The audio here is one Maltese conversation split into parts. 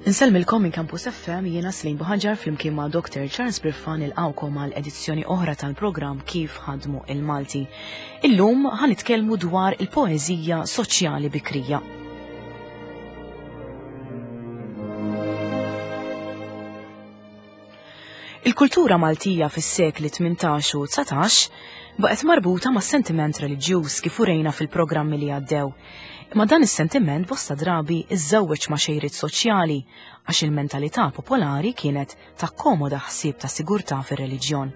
Insellmilkom minn Campus FM jiena Slim Buħaġar flimkien ma' Dr. Charles Briffa nilqawkom għal edizzjoni oħra tal-programm Kif ħadmu il-Malti. Illum ħanitkellmu dwar il-poeżija soċjali bikrija. Il-kultura Maltija fis-sekli 18 u 19 baqgħet marbuta ma' sentiment reliġjuż kif urejna fil-programmi li għaddew. Imma dan is-sentiment bosta drabi iżżewweġ ma' xejriet soċjali għax il-mentalità popolari kienet takkomoda ħsieb ta' sigurtà fir-reliġjon.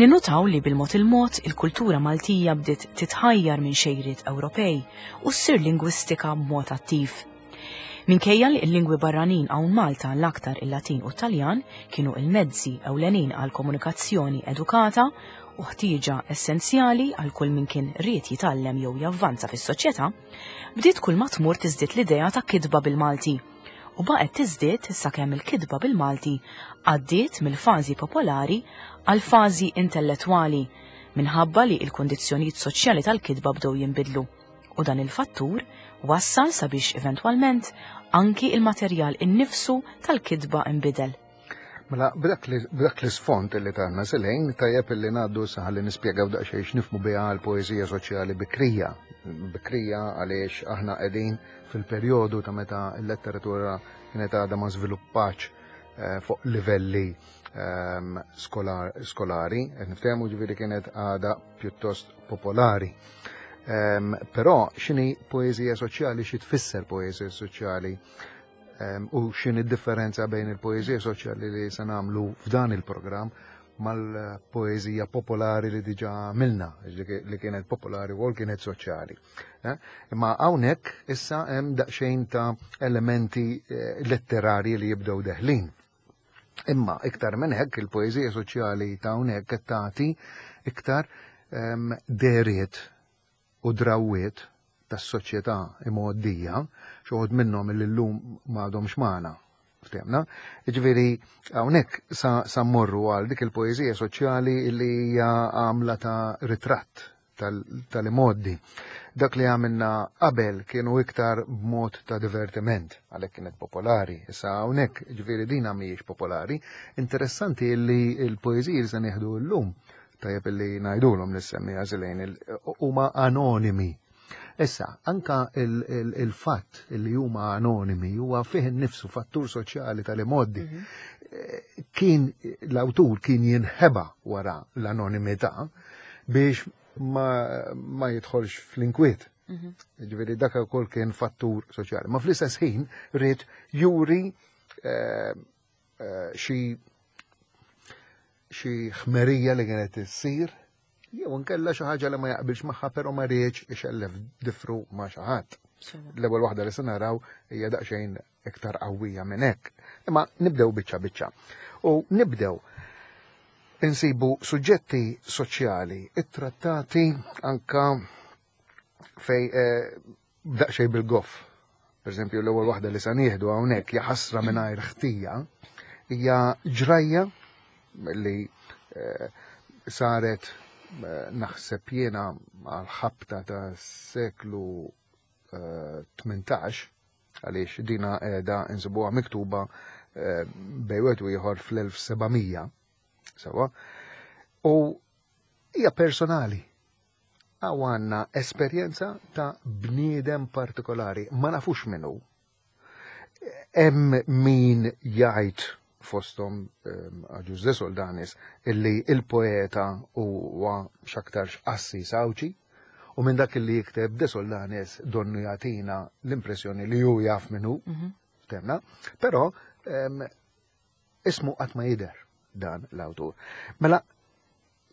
Ninnutaw li bil-mod il-mod il-kultura Maltija bdiet titħajjar minn xejriet Ewropej u ssir lingwistika b'mod attiv. Minkejja li l-lingwi barranin hawn Malta l-aktar il-Latin u t-Taljan kienu il-mezzi ewlenin għal komunikazzjoni edukata u ħtieġa essenzjali għal kull min kien ried jitgħallem jew javvanza fis-soċjetà, bdiet kull ma tmur tiżdied l-idea ta' kitba bil-Malti u baqgħet tiżdied sakemm il-kitba bil-Malti għaddiet mill-fażi popolari għal fażi intellettwali minħabba li l-kundizzjonijiet soċjali tal-kitba bdew jinbidlu. U dan il-fattur wassal sabiex eventwalment anki il-materjal innifsu tal-kitba inbidel. Mela, b'dak l-isfond li tagħna Selejn, tajjeb li ngħaddu saħ li nispjegaw daqsxejn x'nifhmu biha l-poeżija soċjali bikrija. Bikrija għaliex aħna qegħdin fil-perjodu ta' meta l-letteratura kienet għadha ma żviluppax eh, fuq livelli ehm, skolari, qed niftehmu ġifieri kienet għadha pjuttost popolari. Ehm, però x'inhi poeżija soċjali, xi tfisser poeżija soċjali ehm, u x'inhi differenza bejn il-poeżija soċjali li se nagħmlu f'dan il-programm mal-poeżija popolari li diġa għamilna, li kienet popolari u kienet soċjali. Eh? Imma hawnhekk issa hemm daqsxejn ta' elementi eh, letterari li jibdew deħlin. Imma iktar minn hekk il-poeżija soċjali ta' hawnhekk qed tagħti iktar ehm, dehriet u drawwiet tas-soċjetà imgħoddija, xi wħud minnhom li llum m'għadhomx magħna. Ftehmna? Jiġifieri hawnhekk sa, sa mmorru għal dik il-poeżija soċjali li hija għamla ta' ritratt tal-imgħoddi. Dak li għamilna qabel kienu iktar b'mod ta' divertiment, għalhekk kienet popolari. Issa hawnhekk ġifieri dina mhijiex popolari. Interessanti li l-poeżiji li se nieħdu llum, tajjeb li ngħidulhom lis-semmiegħa Żilejn, huma anonimi. Issa, anka il-fatt li huma anonimi huwa fih innifsu fattur soċjali tal-imgħoddi. Mhm. Eh, kien l-awtur kien jinħeba wara l-anonimità biex ma, ma jidħolx fl-inkwiet. Mhm. Ġifieri dak ukoll kien fattur soċjali. Ma fl-istess ħin ried juri eh, eh, xi xi ħmerija li kienet issir jew inkella xi ħaġa li ma jaqbilx magħha però ma riedx ixellef difru ma' xi ħadd. L-ewwel waħda li se naraw hija daqsxejn iktar qawwija minn hekk. Imma nibdew biċċa biċċa. U nibdew insibu suġġetti soċjali ittrattati anka fej eh, daqsxejn bil-goff. Per eżempju, l-ewwel waħda li sa nieħdu hawnhekk jaħasra mingħajr ħtija hija ġrajja li eh, saret eh, naħseb jiena għal ħabta ta' seklu 18 għaliex dina qiegħda insibuha miktuba eh, bejn wieħed u ieħor fl-1700 sewa u hija personali għaw għandna esperjenza ta' bniedem partikolari ma nafux minnu Hemm min jgħid fosthom ehm, Agius de Soldanis illi il-poeta huwa x'aktarx qassis Għawdxi u minn dak li jikteb de Soldanis donnu jagħtina l-impressjoni li hu jaf min hu, mhm. temna, però ehm, ismu qatt ma jidher dan l-awtur. Mela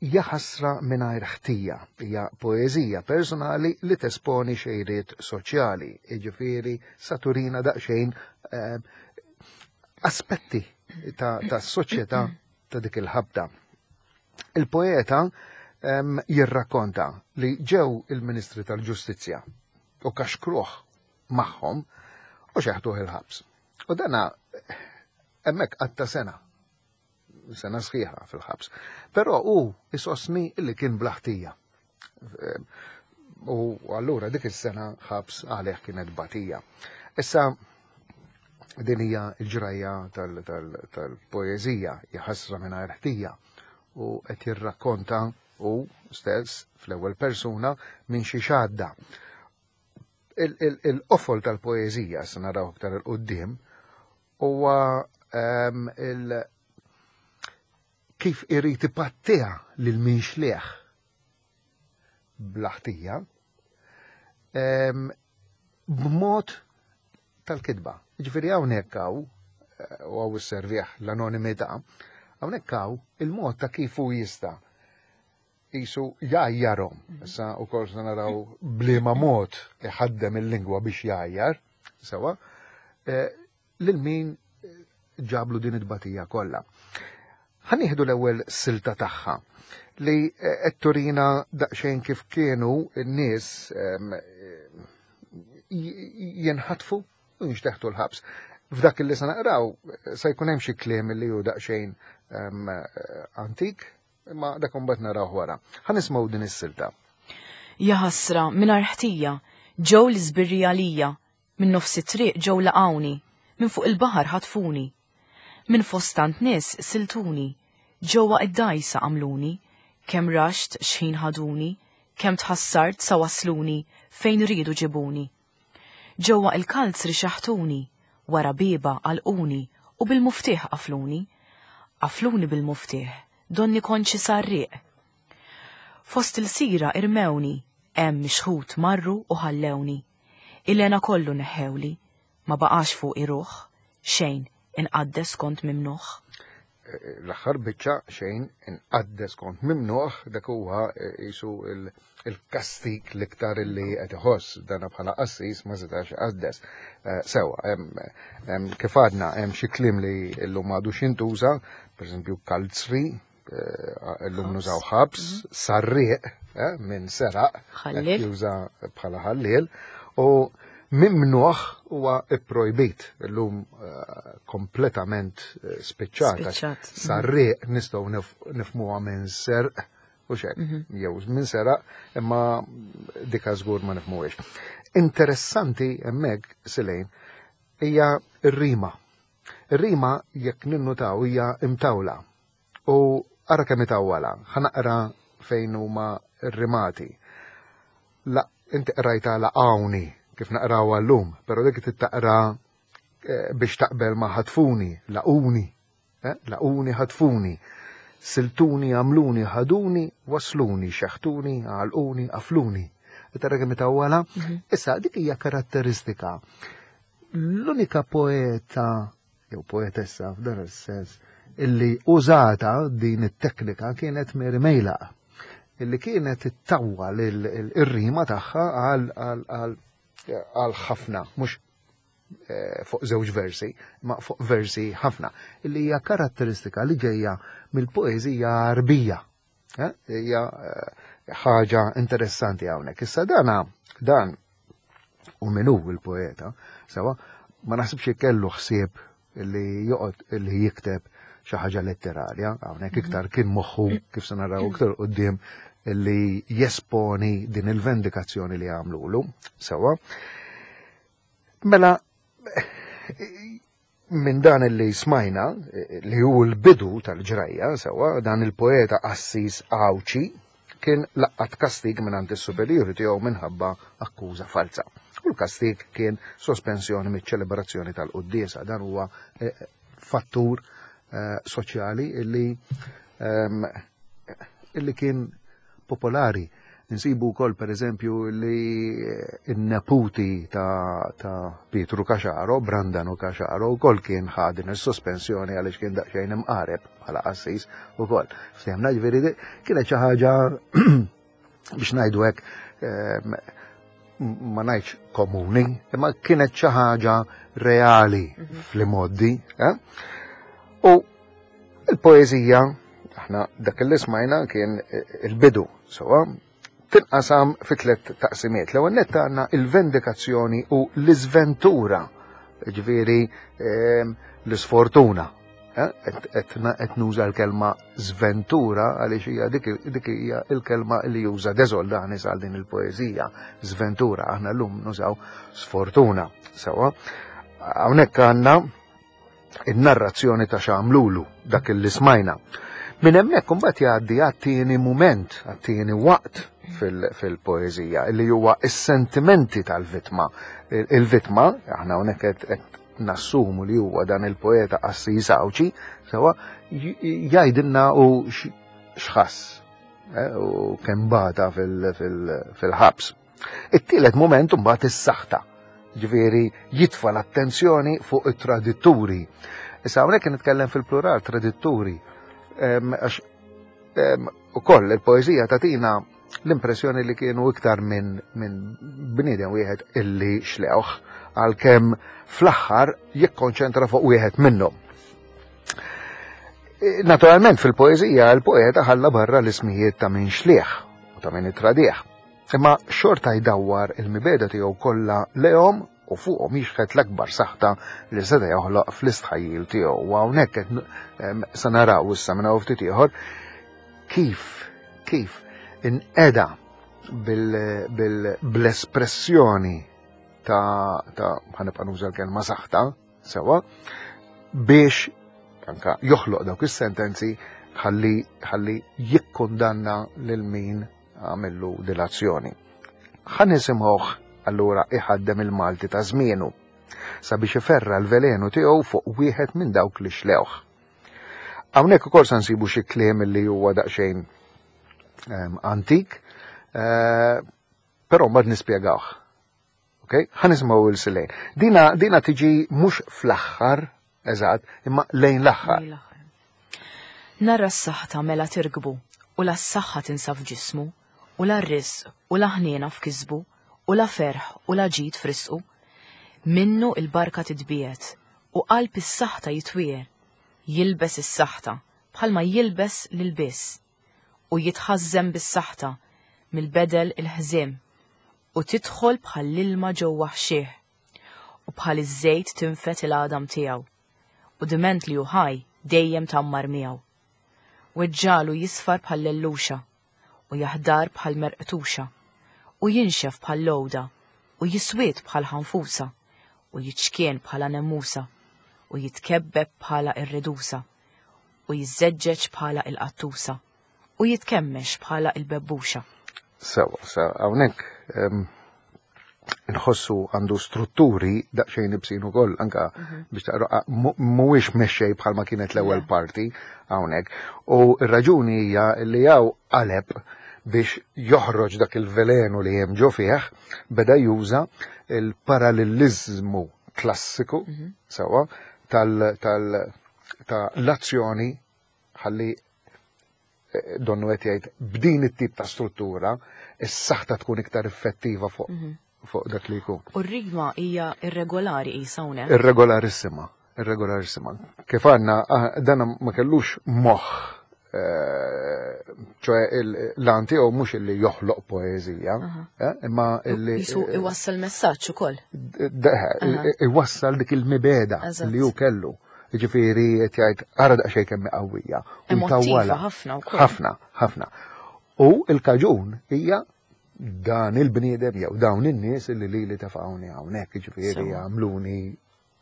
Jaħasra mingħajr ħtija hija poeżija personali li tesponi xejriet soċjali, jiġifieri sa turina daqsxejn eh, aspetti ta' soċjetà ta' dik il-ħabta. Il-poeta ehm, jirrakkonta li ġew il-Ministri tal-Ġustizzja u kaxkruh magħhom u xeħtuh il-ħabs. U dana hemmhekk qatta sena sena sħiħa fil-ħabs. Però hu isosni li kien blaħtija. U allura dik is-sena ħabs għalih kienet batija. Issa. Din hija l-ġrajja tal-poeżija, jaħasra mingħajr ħtija u qed jirrakkonta hu stess fl-ewwel persuna minn xi xadda. Il-qofol tal-poeżija se naraw aktar il quddiem huwa ehm, il kif irid ipattiha lil min xlieħ bla ħtija ehm, b'mod tal-kitba. Ġifieri hawnhekk hawn eh, u hawn isservih l-anonimità, hawnhekk hawn il-mod ta' kif hu jista' jisu jgħajjarhom. Issa wkoll se naraw bliema mod iħaddem il-lingwa biex jgħajjar, sewa, eh, lil min ġablu din it-tbatija kollha. Ħa nieħdu l-ewwel silta tagħha li eh, qed turina daqsxejn kif kienu n-nies ehm, jenħatfu u jinxteħtu l-ħabs. F'dak li se naqraw se jkun hemm xi kliem li hu daqsxejn ehm, antik, imma dak imbagħad naraw wara. Ħa nismgħu din is-silta. Jaħasra mingħajr ħtija, ġew l-iżbirri għalija, Minn nofs it-triq ġew laqgħuni, minn fuq il-baħar ħatfuni. Minn fost tant nies siltuni, ġewwa id-dgħajsa għamluni, kemm raxt x'ħin ħaduni, kemm tħassart sa wassluni fejn riedu ġibuni. Ġewwa il-kalzri xeħtuni, wara bieba għalquni u bil-muftieħ qafluni. Qafluni bil-muftieħ, donni kont xi sarrieq. Fost ilsira irmewni, hemm mixħut marru u ħallewni. Il-hena kollu neħħewli, ma baqax fuqi ruħ, xejn inqaddes kont mimnuħ. L-aħħar biċċa xejn inqaddes kont mimnuħ, dak huwa qisu il-kastik l-iktar li qed iħoss dana bħala qassis ma setax iqaddes. Sewa, kif għadna hemm xi kliem li llum m'għadux jintuża, pereżempju kalzri, Illum nużaw ħabs, mhm. sarriq eh, minn seraq, juża bħala ħalliel, u mimnuħ huwa ipprojbit illum eh, kompletament eh, spiċċata. Mhm. Sarriq nistgħu nifmuha minn serq u xek, mhm. jew minn seraq, imma dika żgur ma nifmuhiex. Interessanti hemmhekk Silejn hija r-rima. Ir-rima jekk ninnutaw hija imtawla. U ara kemm itawwala, ħa naqra fejn huma rrimati. La, inti qrajtha laqgħuni kif naqrawha llum, però dik trid taqra eh, biex taqbel ma' ħatfuni, laquni, eh, laquni ħatfuni, siltuni, għamluni, ħaduni, wasluni, xeħtuni, għalquni, qafluni. Tara kemm itawwala? Mhm. Issa dik hija karatteristika. L-unika poeta jew poetessa f'dan is-sens illi użata din it-teknika kienet Mary Mejlaq illi kienet ittawwal ir-rima tagħha għal ħafna, mhux eh, fuq żewġ versi, ma fuq versi ħafna, illi hija karatteristika li ġejja mill-poeżija Arbija. Eh, hija eh, ħaġa interessanti hawnhekk. Issa dana dan u min hu il-poeta, sewa, ma naħsibx kellu ħsieb li joqgħod li jikteb xi ħaġa letterarja, hawnhekk mhm. iktar kien moħħu kif se naraw iktar qudiem li jesponi din il-vendikazzjoni li għamlulu, sewa. Mela Minn dan li smajna, li hu l-bidu tal-ġrajja, sewwa, dan il-poeta qassis Għawdxi kien laqqat kastig mingħand is-superjuri tiegħu minħabba akkuża falza. U l-kastig kien sospensjoni miċ-ċelebrazzjoni tal-quddiesa. Dan huwa eh, fattur eh, soċjali illi ehm, illi kien popolari. Insibu wkoll pereżempju li n-neputi ta', ta Pietru Caxaro, Brandanu Caxaro, wkoll kien ħa din is-sospensjoni għaliex kien daqsxejn imqareb bħala qassis ukoll. Ftehmna ġifieri kienet xi ħaġa biex ngħidu hekk ehm, ma ngħidx komuni, imma kienet xi ħaġa reali mhm. fl-imoddi. Eh? U Il-poeżija, aħna dak li smajna kien il-bidu, sewa, tinqasam fi tliet taqsimiet. L-ewwel nett għandna il-vendikazzjoni u l-iżventura, ġifieri ehm, l-isfortuna. Eh, qed nuża l-kelma żventura għaliex hija dik hija l-kelma li juża De Soldanis għal din il-poeżija, żventura, aħna llum nużaw sfortuna. Sewa. Hawnhekk għandna in-narrazzjoni ta' x'għamlulu dak li smajna. Minn hemmhekk imbagħad jgħaddi għat-tieni mument, għat-tieni waqt fil-poeżija, li huwa s-sentimenti tal-vittma. Il-vittma, aħna hawnhekk qed nassumu li huwa dan il-poeta qassis Għawdxi, sewa jgħidilna u x'ħass eh, u kemm bata fil-ħabs. It-tielet mument imbagħad is-saħta, ġifieri jitfa' l-attenzjoni fuq it-traditturi. Issa hawnhekk nitkellem fil-plural traditturi, għax ukoll il-poeżija tagħtina l-impressjoni li kienu iktar minn min bniedem wieħed illi xlewh għalkemm fl-aħħar jikkonċentra fuq wieħed minnhom. E, naturalment fil-poeżija il-poeta ħalla barra l-ismijiet ta' min xlieħ u ta' min itradih. Imma xorta jdawwar il-mibegħda tiegħu kollha lejhom u fuqhom jixħet l-akbar saħta li seta' joħloq fl-istħajjil tiegħu. U hawnhekk qed se naraw issa minn hawn ftit ieħor kif kif inqeda bl-espressjoni ta' ta' ħanibqa' nuża l-kelma saħta, Sewa, biex anka joħloq dawk is-sentenzi ħalli ħalli jikkundanna lil min għamillu dilazzjoni. Ħa nisimgħuh allura iħaddem il-Malti ta' żmienu sabiex iferra l-velenu tiegħu fuq wieħed minn dawk li xlewh. Hawnhekk ukoll se nsibu xi kliem li huwa daqsxejn ehm, antik, eh, però mbagħad nispjegawh. Ok? Ħa nisimgħu il Silejn. Dina, dina tiġi mhux fl-aħħar, eżatt, imma lejn l-aħħar. Narra s-saħta mela tirkbu, u la s-saħħa tinsab f'ġismu, u la r-risq, u la ħniena f'kisbu, u la ferħ, u la ġid f'risqu. Minnu il-barka titbiegħed, u qalb is-saħta jitwiegħer. Jilbes is-saħta, bħalma jilbes l-ilbies. U jitħażżem bis-saħta, mill-bedel il-ħżiem. U tidħol bħall-ilma ġewwa ħxieh, u bħal iż-żejt tinfed il-għadam tiegħu, u diment li hu ħaj dejjem tgħammar miegħu. Weġġagħlu jisfar bħal-lelluxa, u jaħdar bħal merqtuxa, u jinxef bħal-lgħoda, u jiswied bħal ħanfusa, u jiċkien bħala nemmusa, u jitkebbeb bħala r-redusa, u jiżżeġġeġ bħala il-qattusa. u jitkemmex bħala il-bebbuxa. Sewa, sa hawnhekk nħossu għandu strutturi daqsxejn ibsin ukoll anka mhm. biex taqra mhuwiex mexxej bħalma kienet l-ewwel parti hawnhekk. U r-raġuni hija li hawn qaleb biex joħroġ dak il-velenu li hemm ġo fih, beda juża il-parallelizmu klassiku mhm. sewa tal tal-azzjoni ħalli eh, donnu qed jgħid b'din it-tip ta' struttura is-saħta tkun iktar effettiva fuq mhm. fuq dak li jkun. U r-rigma hija irregolari qisha hawnhekk. Irregolarissima, irregolarissima. Kif għandna ah, dan ma kellux moħħ eh, ċoħe l-għan tiegħu mhux illi joħloq poeżija, eh, imma illi. Jisu iwassal messaġġ ukoll. Iwassal dik il-mibeda li hu kellu. Jiġifieri qed jgħid ara daqsxejn kemm qawwija. U jtawwalha. Ħafna wkoll. Ħafna, ħafna. U l-kaġun hija dan il-bniedem jew dawn in-nies li lili tefgħuni hawnhekk, jiġifieri għamluni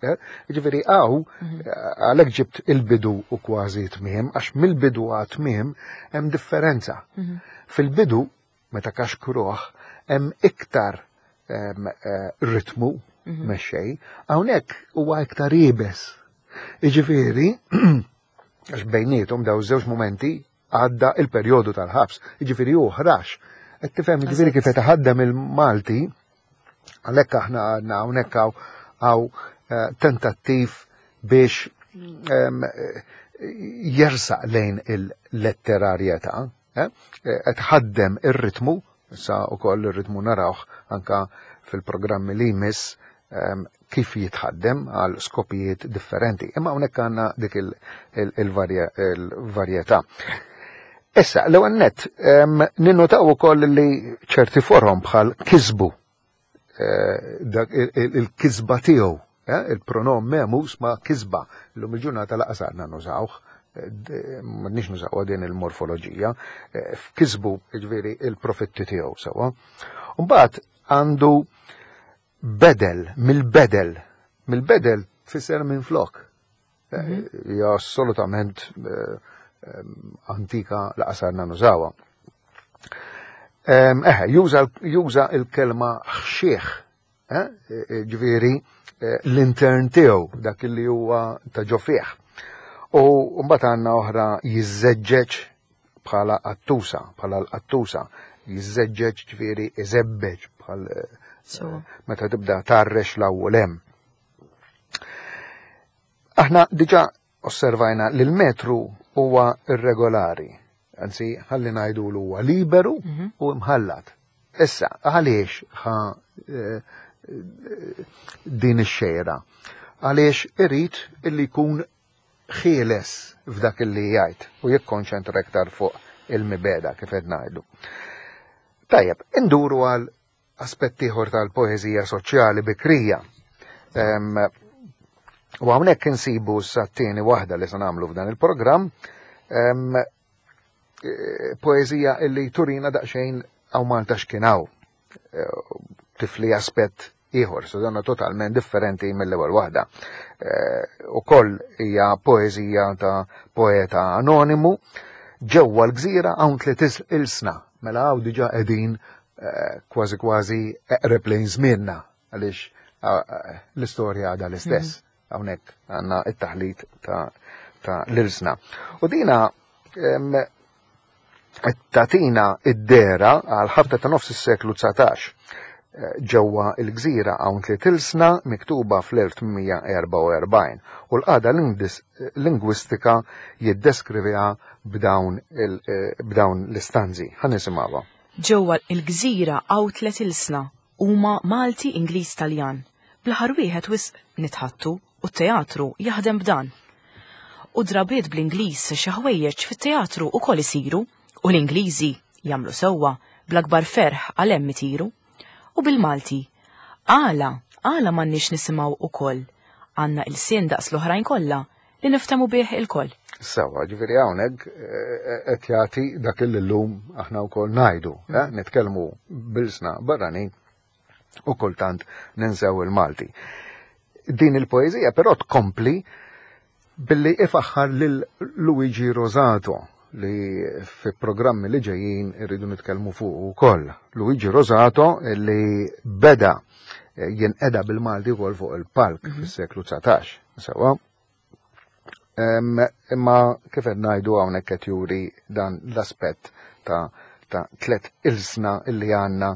eh, Ġifieri hawn mhm. għalhekk ġibt il-bidu u kważi tmiem, għax mill-bidu għat tmiem hemm differenza. Mhm. Fil-bidu meta kaxkruh hemm iktar eh, ritmu mhm. mexxej, hawnhekk huwa iktar iebes. Jiġifieri, għax bejniethom daw żewġ momenti għadda il-perjodu tal-ħabs, jiġifieri hu ħrax. Qed tifhem jiġifieri kif qed iħaddem il-Malti, għalhekk aħna għadna hawnhekk hawn eh, tentattiv biex jersaq lejn il-letterarjetà. Eh, qed ħaddem ir-ritmu, issa wkoll ir-ritmu narawh anka fil-programmi li jmiss ehm, kif jitħaddem għal skopijiet differenti. Imma hawnhekk għandna dik il-varjetà. Issa, l-ewwel nett, ehm, ninnotaw ukoll li ċerti forom bħal kisbu eh, il-kisba tiegħu, eh, il-pronom memus ma' kisba, l-lum il-ġurnata laqas għadna nużawh, eh, m'għadniex nużaw din il-morfoloġija, f'kisbu ġifieri il-profitti tiegħu sewwa. Mbagħad għandu bedel mill-bedel. Mill-bedel tfisser minn flok. Mhm. Hija assolutament eh, antika laqasarna nużawha. Eħe, juża il-kelma ħxieħ, eh, e, ġifieri eh, l-intern tiegħu dak li huwa ta' ġo fih. U mbagħad għandna oħra jiżżeġġeġ bħala qattusa, bħala l-qattusa, jiżżeġġeġ ġifieri iżebbeġ bħal eh, meta tibda tarrex l-ewwel hemm. Aħna diġà osservajna li l-metru huwa irregolari, anzi ħalli ngħidu l huwa liberu mhm. u mħallat. Issa, għaliex ħa eh, din ix-xejra? Għaliex irid illi jkun ħieles f'dak illi jgħid u jikkonċentra iktar fuq il-mibeda kif qed ngħidu. Tajjeb, induru għal aspett ieħor tal-poeżija soċjali bikrija. U hawnhekk insibu sa t-tieni waħda li se nagħmlu f'dan il-programm, eh, poeżija illi turina daqsxejn hawn Malta x'kien hawn. Eh, tifli aspett ieħor, so donna totalment differenti mill-ewwel waħda. Eh, ukoll hija poeżija ta' poeta anonimu ġewwa l-gżira hawn tliet ilsna, mela hawn diġà qegħdin eh, kważi kważi eqreb lejn żmienna għaliex eh, l-istorja għadha l-istess. Mhm. Hawnhekk għandna it-taħlit ta' ta' l-ilsna. U dina tatina id-dera għal ħabta ta' nofs is-seklu 19 eh, ġewwa l-gżira hawn tliet ilsna miktuba fl-1844 u l-qagħda lingwistika jiddeskriviha b'dawn eh, l-istanzi. Ħa nisimgħuha. Ġewwa l-gżira hawn tlet ilsna, huma Malti, Ingliż, Taljan. Bl-aħħar wieħed wisq nitħaddtu u t-teatru jaħdem b'dan. U drabiet bl-Ingliż xi ħwejjeġ fit-teatru ukoll isiru u l-Ingliżi jagħmlu sewwa bl-akbar ferħ għal hemm itiru. U bil-Malti, għala, għala m'għandniex nisimgħu ukoll? Għandna ilsien daqs l-oħrajn kollha li niftehmu bih ilkoll. Sewwa, ġifieri hawnhekk eh, eh, qed jagħti dak li llum aħna wkoll ngħidu, eh, mm. nitkellmu bilsna barranin u kultant ninsew il-Malti. Din il-poeżija però tkompli billi ifaħħar lil Luigi Rosato li fi programmi li ġejjin irridu nitkellmu fuq ukoll. Luigi Rosato li beda jinqeda bil-Malti wkoll fuq il-palk mhm. fis-seklu 19. Sewa. Imma kif qed ngħidu hawnhekk qed juri dan l-aspett ta' ta' tlet ilsna illi għandna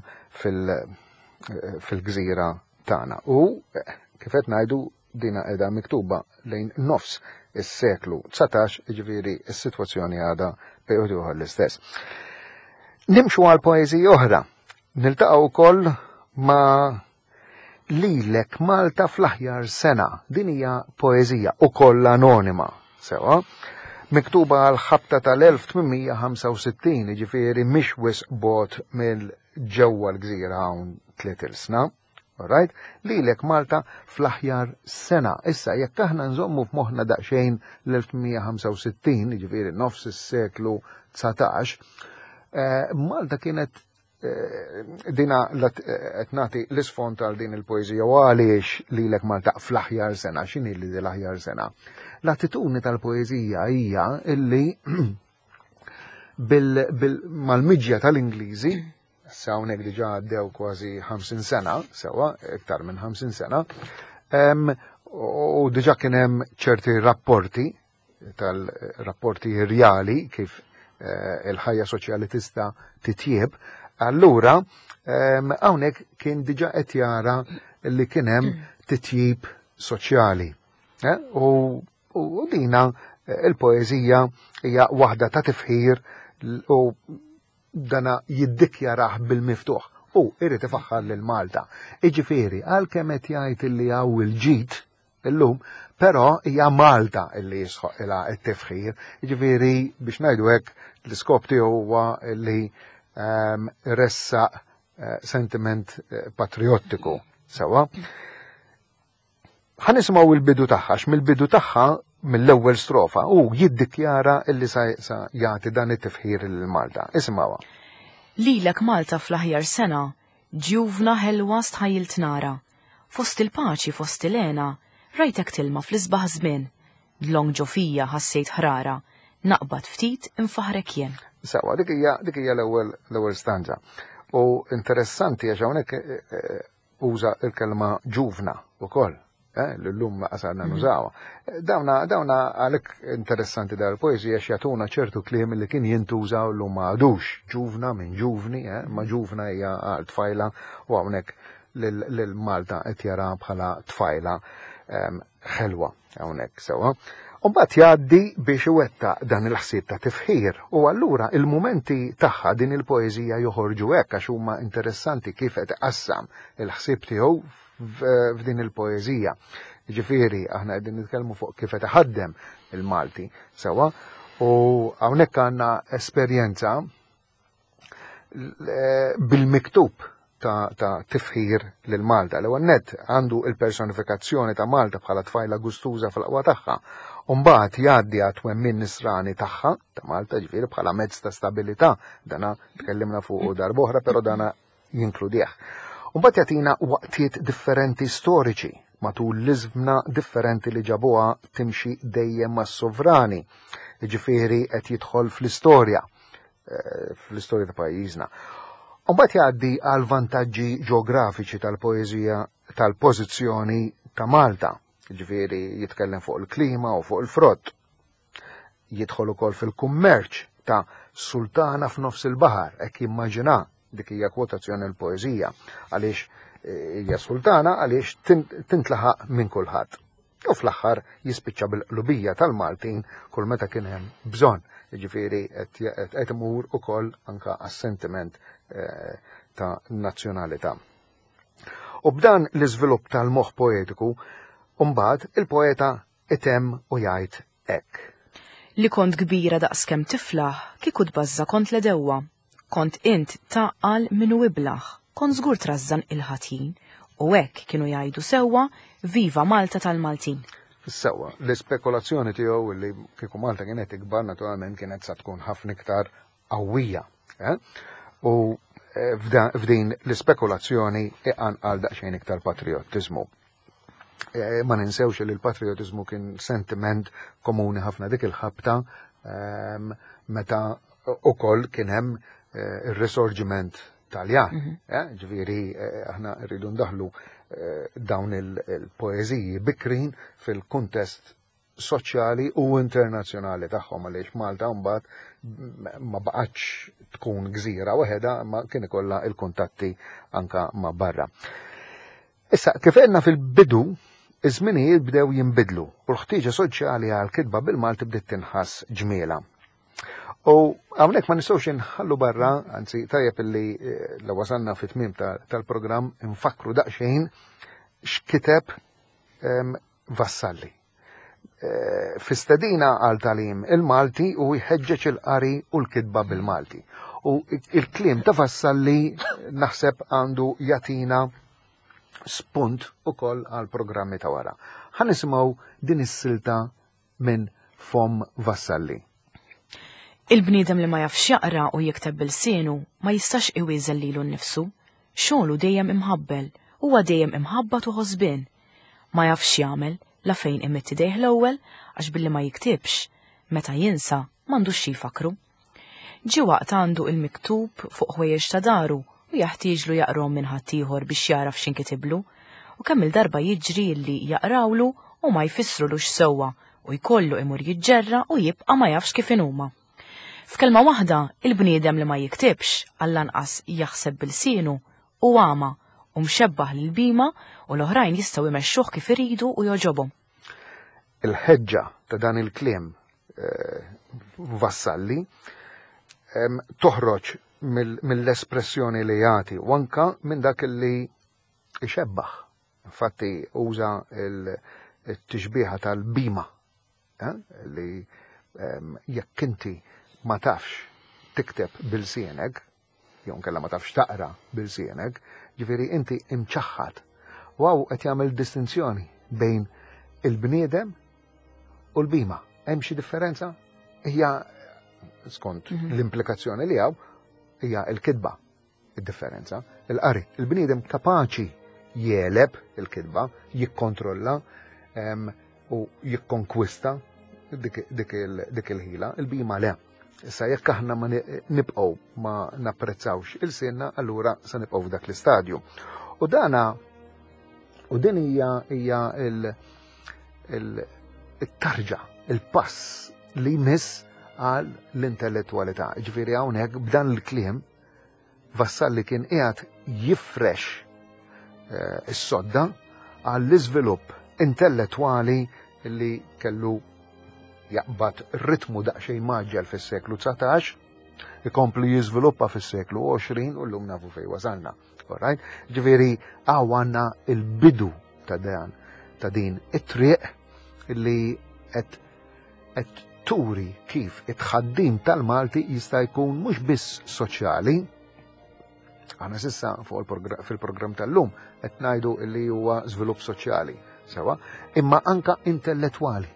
fil-gżira tagħna. U kif qed ngħidu dina qiegħda miktuba lejn nofs is-seklu 19, jiġifieri s-sitwazzjoni għadha bejn ieħor l-istess. Nimxu għal poeżiji oħra. Niltaqgħu wkoll ma' Lilek Malta fl-aħjar sena. Din hija poeżija ukoll anonima, sewa, miktuba għal ħabta tal-1865, jiġifieri mhix wisq bogħod mill ġewwa l-gżira hawn tliet ilsna. Alright? Lilek Malta fl-aħjar sena. Issa jekk aħna nżommu f'moħħna daqsxejn l-1865, jiġifieri nofs is-seklu 19, eh, Malta kienet Eh, dina eh, qed nagħti l-isfond għal din il-poeżija u għaliex lilek Malta fl-aħjar sena, x'inhi li l-aħjar sena? L-attitudni tal-poeżija hija illi mal-miġja tal-Ingliżi, sa hawnhekk diġà għaddew kważi 50 sena, sewa, iktar minn 50 sena, u diġà kien hemm ċerti rapporti tal-rapporti rjali kif eh, il-ħajja soċjali tista' titjieb, allura ehm, hawnhekk kien diġà qed jara li kien hemm titjib soċjali. Eh, u dina eh, il-poeżija hija waħda ta' tifħir u dana jiddikjarah bil-miftuħ u irrid ifaħħar lil Malta. Iġifieri, għalkemm qed jgħid li hawn il-ġid illum, però hija Malta illi jisħoq ilha t-tifħir. Jiġifieri biex ngħidu hekk l-iskop tiegħu huwa li ehm, ressaq eh, sentiment eh, patriottiku sewwa. Ħa nisimgħu il-bidu tagħha, mill-bidu tagħha mill-ewwel strofa u jiddikjara illi sa jagħti dan it-tifħir lil Malta. Isimgħuha. Lilek Malta fl-aħjar sena, ġjuvna ħelwa stħajjilt nara. Fost il-paċi fost il-hena, rajtek tilma fl-isbaħ żmien. Dlonk ġo fija ħassejt ħrara, naqbad ftit infaħħrek jien. Sewwa, dik hija dik hija l-ewwel l-ewwel stanza. U interessanti għax hawnhekk eh, eh, uża l-kelma ġuvna wkoll, eh, li llum laqas għandna mhm. nużawha. Dawna dawna għalhekk interessanti dal poeżija għax jagħtuna ċertu kliem li kien jintuża u llum ma għadux. Ġuvna minn ġuvni, eh, ma ġuvna hija għal tfajla u hawnhekk lil Malta qed jara bħala tfajla ehm, ħelwa hawnhekk sewwa. U mbagħad jgħaddi biex iwettaq dan il-ħsieb ta' tifħir u allura il-mumenti tagħha din il-poeżija joħorġu hekk għax huma interessanti kif qed iqassam il-ħsieb tiegħu f'din il-poeżija. Ġifieri aħna qegħdin nitkellmu fuq kif qed iħaddem il-Malti sewwa u hawnhekk għandna esperjenza bil-miktub ta', ta tifħir lil Malta. L-ewwel nett għandu il-personifikazzjoni ta' Malta bħala tfajla gustuża fl-aqwa tagħha. U mbagħad jgħaddi għat-twemmin nisrani tagħha ta' Malta ġifieri bħala mezz ta' stabilità. Dana tkellimna fuq darb'oħra, però dana jinkludih. U mbagħad jagħtina waqtiet differenti storiċi matul l-iżmna differenti li ġabuha timxi dejjem mas-sovrani. Ġifieri qed jidħol fl-istorja. Eh, fl-istorja ta' pajjiżna. Mbagħad jgħaddi għal vantaġġi ġeografiċi tal-poeżija tal-pożizzjoni ta' Malta, ġifieri jitkellem fuq il-klima u fuq il-frott. Jidħol ukoll fil-kummerċ ta' sultana f'nofs il-baħar, hekk jimmaġina dik hija kwotazzjoni l-poeżija għaliex eh, hija sultana għaliex tintlaħaq minn kulħadd. U fl-aħħar jispiċċa bil-qlubija tal-Maltin kull meta kien hemm bżonn. Jiġifieri qed imur ukoll anka għas-sentiment eh, ta' nazzjonalità. U b'dan l-iżvilupp tal-moħħ poetiku, mbagħad il-poeta itemm u jgħid hekk. Li kont kbira daqskemm tiflaħ, kieku tbażża' kont l-għedewwa. Kont int tgħaqqal min hu iblah, kont żgur trażżan il-ħatjin, u hekk kienu jgħidu sewwa, Viva Malta tal-Maltin. Sewwa, l-ispekulazzjoni tiegħu li kieku Malta kienet ikbar naturalment kienet sa tkun ħafna iktar qawwija. Eh? U eh, f'din l-ispekulazzjoni iqanqal daqsxejn iktar patriottiżmu. Eh, ma ninsewx li l-patriotizmu kien sentiment komuni ħafna dik il-ħabta ehm, meta ukoll kien hemm eh, ir-risorġiment Taljan. Mhm. Eh, ġifieri aħna rridu ndaħlu dawn il-poeżiji bikrin fil-kuntest soċjali u internazzjonali tagħhom għaliex Malta mbagħad ma baqgħetx tkun gżira waħedha ma kien ikollha il-kuntatti anka ma' barra. Issa, kif għedna fil-bidu, iż-żminijiet bdew jinbidlu u l-ħtieġa soċjali għal kitba bil-Malti bdiet tinħass ġmiela. U hawnhekk ma nistgħux inħallu barra, anzi tajjeb illi eh, la wasalna fit-tmiem tal-programm infakru daqsxejn x'kiteb ehm, Vassalli. Eh, fi stedina għal talim il-Malti u jħeġġeġ il-qari u l-kitba bil-Malti. U il-kliem ta' Vassalli naħseb għandu jatina spunt ukoll għal programmi ta' wara. Ħa nisimgħu din is-silta minn Fom Vassalli. Il-bniedem li ma jafx jaqra u jikteb b'ilsienu ma jistax iwieżen lilu nnifsu. Xogħlu dejjem imħabbel, huwa dejjem imħabbat u ħosbien. Ma jafx x'jagħmel, la fejn imidd idejh l-ewwel għax billi ma jiktibx, meta jinsa m'għandux xi jfakkru. Ġie waqt għandu il-miktub fuq ħwejjeġ ta' daru u jaħtieġlu jaqrahom minn ħaddieħor biex jagħraf x'inkitiblu, u kemm-il darba jiġri li jaqrawlu u ma jfissrulux sewwa u jkollu imur jiġġerra u jibqa' ma jafx kif inhuma. F'kelma waħda, il-bniedem li ma jiktibx, għall-anqas jaħseb b'ilsienu, hu agħma u mxebbah lil bhima u l-oħrajn jistgħu jmexxuh kif iridu u jogħġobhom. Il-ħeġġa ta' dan il-kliem eh, Vassalli toħroġ mill-espressjoni li jagħti u anka minn dak li ixebbaħ. Infatti uża il-tixbiha tal-bima eh, li jekk inti ma tafx tikteb bil-sienek, jew nkella ma tafx taqra bil-sienek, ġifieri inti imċaħħad. Waw qed jagħmel distinzjoni bejn il-bniedem u l-bima. Hemm xi differenza? Hija skont mhm. l-implikazzjoni li hawn hija l-kitba id-differenza. Il-qari, il-bniedem kapaċi jegħleb il-kitba, jikkontrolla u jikkonkwista dik il-ħila, il-bhima le. Issa jekk aħna ma nibqgħu ma napprezzawx il-sinna, allura se nibqgħu f'dak l-istadju. U dana u din hija hija il-tarġa, il-pass li jmiss għal l-intellettualità. Ġifieri hawnhekk b'dan il-kliem Vassalli kien qiegħed jifrex eh, is-sodda għall-iżvilupp intellettwali li kellu jaqbad ritmu daqsxejn maġġel fis-seklu 19, ikompli jiżviluppa fis-seklu 20 u llum nafu fejn wasalna. Alright? Ġifieri hawn għandna il-bidu ta' dan ta' din it-triq li qed qed turi kif it-tħaddim tal-Malti jista' jkun mhux biss soċjali, aħna sissa fuq fil-programm tal-lum qed ngħidu li huwa żvilupp soċjali, sewa, imma anka intellettwali.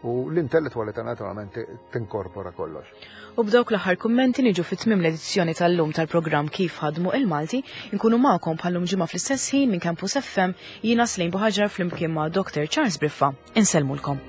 U l-intellettwalità naturalment tinkorpora kollox. U b'dawk l-aħħar kummenti niġu fi tmiem l-edizzjoni tal-lum tal-programm Kif Ħadmu il-Malti, inkunu magħkom bħallum ġimgħa fl-istess ħin minn Campus FM, jiena Slejn Buħaġar flimkien ma' Dr. Charles Briffa. Insellmulkom.